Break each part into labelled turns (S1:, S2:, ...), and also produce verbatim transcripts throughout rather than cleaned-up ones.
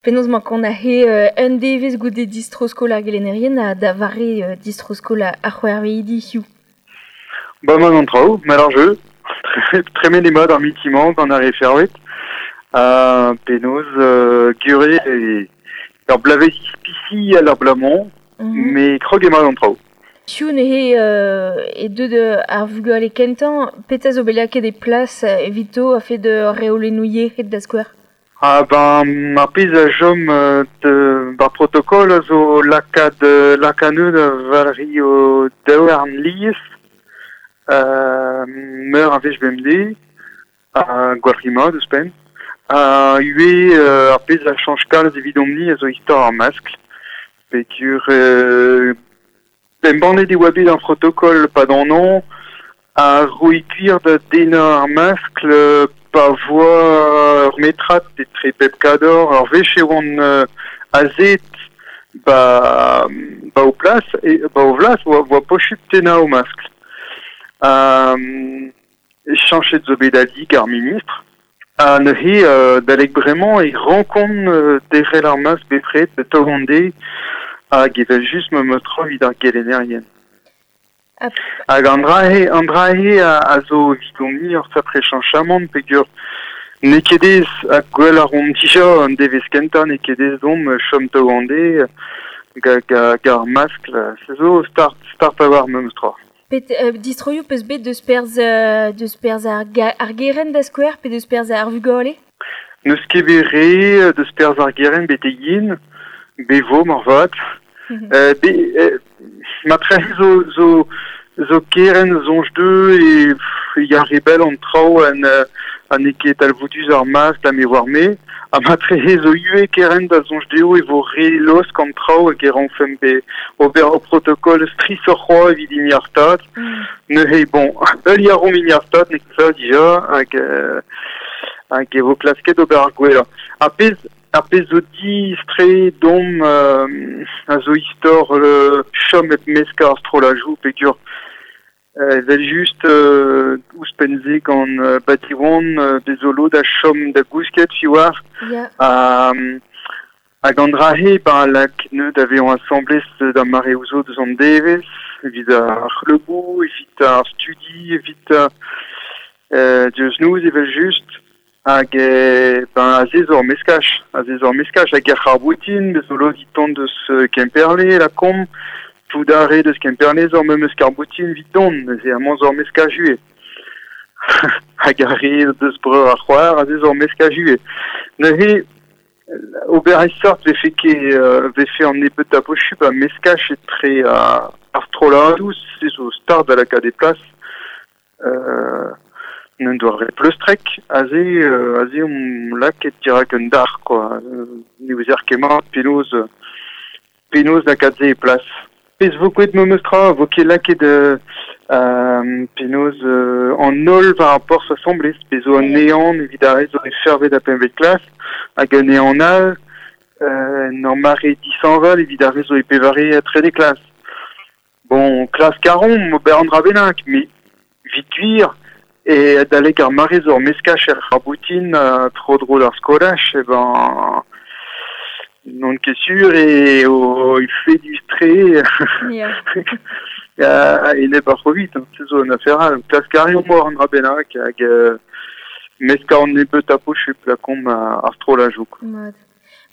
S1: Penaos mañ kont aze euh, un devezh goude distro-skol ar gelennerien ha da vare euh, distro-skol ar c'hwec'hveidi hiziv.
S2: Ba mat an traoù, mat ar jeu. Tremen eo mat ar mitimant gant ar re fervet. Ha penaos euh, gure e ur bloavezh ispisial ar bloaz-mañ,
S1: Mm -hmm.
S2: met krog eo mat an traoù.
S1: Piv neuze euh, e deuet ar vugale kentañ, petra zo bet lakaet e plas evito a-fet reolennoù yec'hed da skouer?
S2: Ah ben, ar pezh a chom euh, de, bar protokol a zo lakaat euh, lakaat anezho da valc'hiñ o daouarn lies, euh, meur a wech bemdez, ha gwalc'hiñ mat ouzhpenn. Ha ivez euh, ar pezh a chañch kalz evidomp-ni a zo istor ar maskl, peogwir euh, embannet e oa bet ar protokol pad an hañv, ha roiñ gwir da dennañ ar maskl euh, pa voa ur metrad etre pep kador, ur wech e oant euh, azet ba, ba o plas, e, ba o vlas, oa, oa posupl tennañ o maskl. Euh, chañchet zo bet ali ar ministr, ha neuze euh, adalek bremañ e rankont euh, derc'hel ar maskl bepred taol an deiz hag evel-just memes tra evit ar gelennerien.
S1: Hag
S2: Hag an dra-se an dra-se a, a zo evidomp-ni ur sapre chañchamant peogwir n'eo ket aes ha gwell a reomp dija an devezh kentañ n'eo ket aes deomp chom taol an deiz ga, ga, ga ar maskl, se zo start, start a-walc'h memes tra.
S1: Pet euh, distroioù peus bet deus perzh euh, deus perzh ar, ga, ar gerent da skouer pe deus perzh ar vugale?
S2: N'eus ket bet re deus perzh ar gerent betek yen, bet vo moarvat. Euh, be, euh, matrehe zo, zo, zo kerent soñj dezhe e pff, ya re bell an traoù an, euh, ha n'eo ket talvoudus ar maskl ha me oar me. Ha matrehe zo ivez kerent da soñj dezho e vo re laosk an traoù hag e rankfemp be ober ur protokol strisoc'h c'hoazh evit hini ar Stad.
S1: Mm.
S2: Neuze bon, heuliañ a reomp hini ar Stad n'eo ket ça dija hag, euh, hag e vo klasket ober ar gwellañ. Ar pezh ar pezh zo diaes-tre deomp euh, a zo istor euh, chom hep meskañ ar strollajoù peogwir euh, evel-just euh, ouzhpenn-se gant euh, ba Diwan euh, bez zo lod a chom da gousket fi war
S1: Ya.
S2: ha hag an dra-se ben lak neud da vezañ asambles da mareoù zo deus an devezh, evit ar c'hleuboù, evit ar studi, evit euh, diouzh noz evel-just. Hag euh, ben aze zo ur meskaj, aze zo ur meskaj hag ar c'harr-boutin, bez zo lod e tont deus Kemperle, lakaomp, tout ar re deus Kemperle zo memes karr-boutin evit dont, neuze amañ zo ur meskaj ivez. Hag ar re deus breur ar c'hoar, aze zo ur meskaj ivez. Neuze, ober e sort vefe ket euh, vefe an nebeut a posupl a meskaj etre ar, ar strolladoù, se zo start da lakaat e plas. Euh, n'en doare pleustrek, aze, euh, aze omp lakaet dirak un dar, quoi. Euh, ne ouzer ket mat penaos, penaos lakaat se e plas. Pezh vo ket memes tra, vo ket lakaet euh, euh, penaos euh, an holl war ar porzh asambles, pezh zo an ehan evit ar re zo e fervet ha pempvet klas, hag un ehan all, euh, en ur mare dishañval evit ar re zo e pevare ha trede klas. Bon, klask a reomp ober an dra bennak, met evit gwir, e adalek ar mare zo ur meskaj er c'harr-boutin uh, tro-dro d'ar skolaj, e ben n'on ket sur e o efedus-tre
S1: Ya.
S2: a-enep ar C'hovid, hein, se zo un afer all. Klask a reomp ober an dra bennak hag euh, meskañ an nebeut a posupl lakaomp ar strollajoù.
S1: Mat.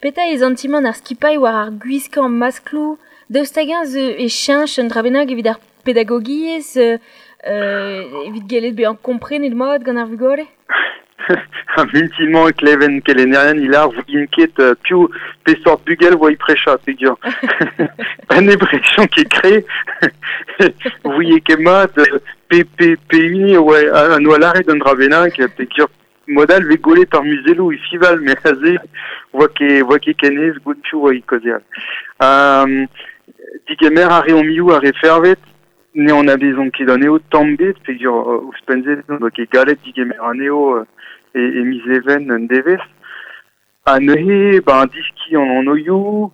S1: Petra eo santimant ar skipailh war ar gwiskañ maskloù, daoust hag-eñ zo e cheñch un dra bennak evit ar pedagogiezh, euh, evit gellet bezañ komprenet mat gant ar vugale?
S2: Ar mintin-mañ e kleven kelennerien e lâr 'vouint ket euh, piv pesort bugel 'oa e prechañ peogwir an impression ket kre 'vouie ket mat pe pe pe hini oa an oa lâret un dra bennak peogwir mod all 'vez gwelet ar muzelloù e fiñval met aze 'oa ket 'oa ket ken aes goût piv 'oa e kaozeal. Um, digemer a reomp ivez ar re fervet, ne anavezomp ket anezho tamm ebet peogwir ouzhpenn-se n'oa ket gallet digemer anezho e, e miz Even un devezh. Ha neuze, ben diskiñ an anvioù,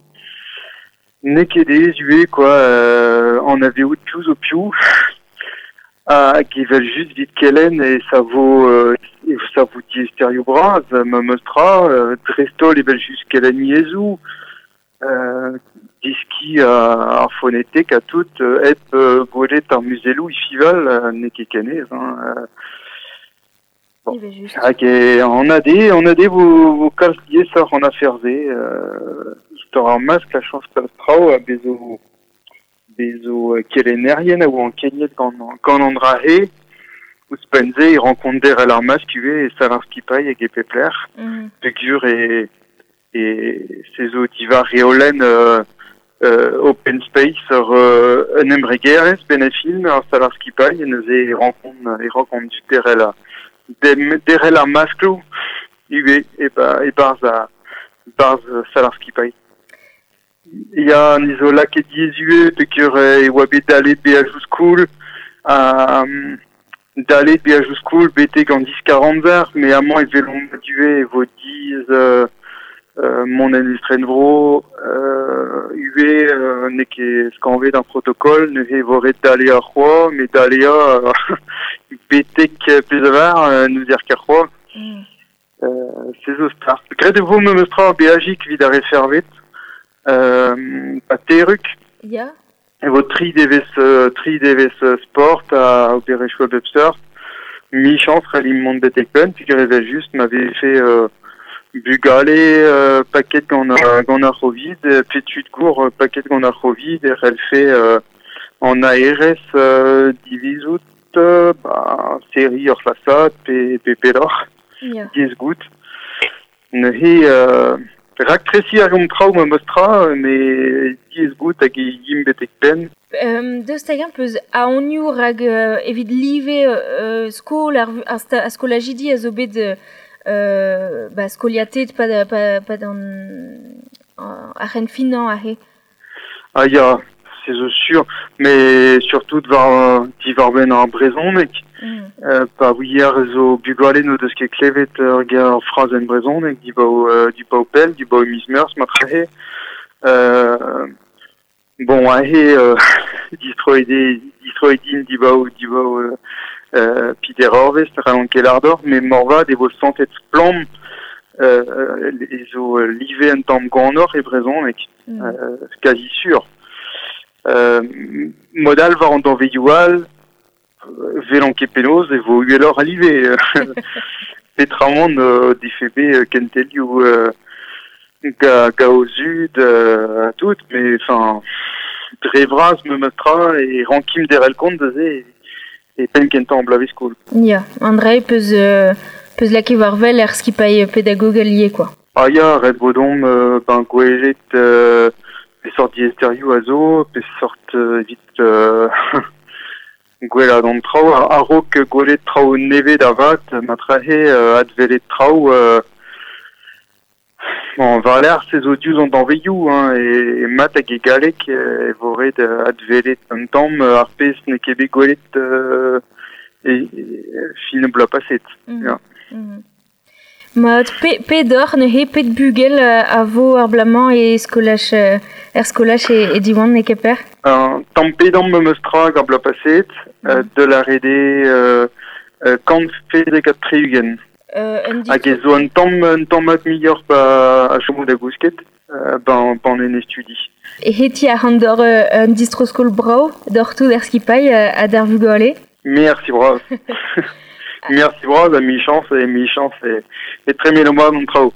S2: n'eo ket aes ivez quoi, euh, anavezout piv zo piv. Hag evel just 'vit kelenn e savo euh, e savo diaesterioù bras, memes tra, euh, dreist-holl evel just kelenn yezhoù, euh, deskiñ ar fonetek ha tout, euh, hep euh, gwelet ar muzelloù e fiñval, euh, n'eo ket ken aes, hein, euh. Bon.
S1: Evel-just.
S2: Hag e anat eo, anat eo vo, vo kalz diaesoc'h an afer-se, euh, istor ar maskl a chañch kalz traoù ha bez zo bez zo kelennerien a oa ankeniet gant, gant an dra-se, ouzhpenn-se e rankont derc'hel ar maskl ivez e sal ar skipailh hag e pep lec'h.
S1: Mm.
S2: Peogwir e, e se zo diwar reolenn euh, euh, open space ur euh, un embregerezh benn ar fin ar sal ar skipailh, neuze e rankont, e rankont du derc'hel a, dem, derc'hel ar maskloù ivez e ba, e-barzh a, barzh sal ar skipailh. Ya, ni zo lakaet diaes ivez peogwir e oa bet dalet beajoù skol, ha dalet beajoù skol betek an diskar-amzer, met amañ e welomp ivez e vo diaes euh, euh, mont en estrenvro, euh, ivez euh, n'eo ket skañvaet ar protokol, neuze e vo ret daleañ c'hoazh, met daleañ euh, betek pezh a var, euh, n'ouzer ket c'hoazh.
S1: Mm.
S2: Euh, se zo start. Graet e vo memes tra ur beajig evit ar re fervet, euh, pa Terrug.
S1: Ya.
S2: E vo tri devezh, euh, tri devezh sport ha obererezhioù a bep seurt. Michañs c'hallimp mont betek penn, peogwir evel-just ma vefe euh, bugale euh, paket gant, euh, gant ar Covid, pe tud gour paket gant ar Covid, e c'hellfe euh, an A R S euh, divizout euh, ba, serriñ ur c'hlasad pe, pe pelloc'h.
S1: Ya.
S2: Diaes goût. Neuze euh, raktresiñ a reomp traoù memes tra, met diaes goût hag e yimp betek penn.
S1: Euh, daoust hag-eñ peus aonioù rak euh, evit live euh, skol ar, ar, sta, ar skolajidi a zo bet euh, ba, skoliatet pa, pa, pa d'an ar c'henfinañ aze.
S2: Ah ya, se zo sur, mais surtout war diwar-benn ar brezhoneg.
S1: Mm.
S2: Euh, pa ouier zo bugale n'o deus ket klevet ur ger frazenn brezhoneg dibaoe euh, dibaoe pell, dibaoe miz Meurzh marteze. Euh, bon, aze euh, distroet eo, distroet int dibaoe, dibaoe euh, peder eurvezh, n'hallont ket lâr deoc'h, met moarvat e vo santet splann euh, e zo live un tamm gwanoc'h e brezhoneg,
S1: Mm.
S2: euh, quasi sur. Euh, mod all war an danvezioù all, 'welan ket penaos e vo uheloc'h a live. Petramant euh, defe bet kentelioù euh, ga, ga o zud euh, tout, mais enfin dre vras memes tra e rankimp derc'hel kont neuze e, e penn kentañ an bloavezh skol.
S1: Ya, an dra peus, euh, peus lakaet war wel er skipailh pedagogel ivez, quoi.
S2: Ah ya, ret vo deomp euh, ben gwelet euh, pesort diaesterioù a zo, pesort euh, evit euh, gwellaat an traoù, a-raok gwelet traoù nevez da vat, marteze euh, adwelet traoù euh, bon, war-lerc'h se zo diouzh an danvezioù, hein, e, e mat hag e galleg e vo ret adwelet un tamm ar pezh n'eo ket bet gwelet euh, e, e fin bloaz paset.
S1: Mm.
S2: Ya.
S1: Mm. Mat, pe, pet oc'h neuze, pet bugel a vo ar bloaz-mañ e skolaj, er skolaj e, e Diwan e Kemper?
S2: Un tamm pe damm memes tra hag ar bloaz paset,
S1: Mm.
S2: euh, de la rede euh, euh, kant pezek ha tri-ugent.
S1: Euh, un
S2: Hag e zo un tamm, un tamm mat muioc'h ba a chomo da gousket, euh, ban, ban en studi.
S1: E heti a ran d'or euh, un distro-skol brav, d'or tout er skipailh euh, ha d'ar vugale.
S2: Merci bras. Merci bras, ha michañs e michañs e, e tremeno mat an traoù.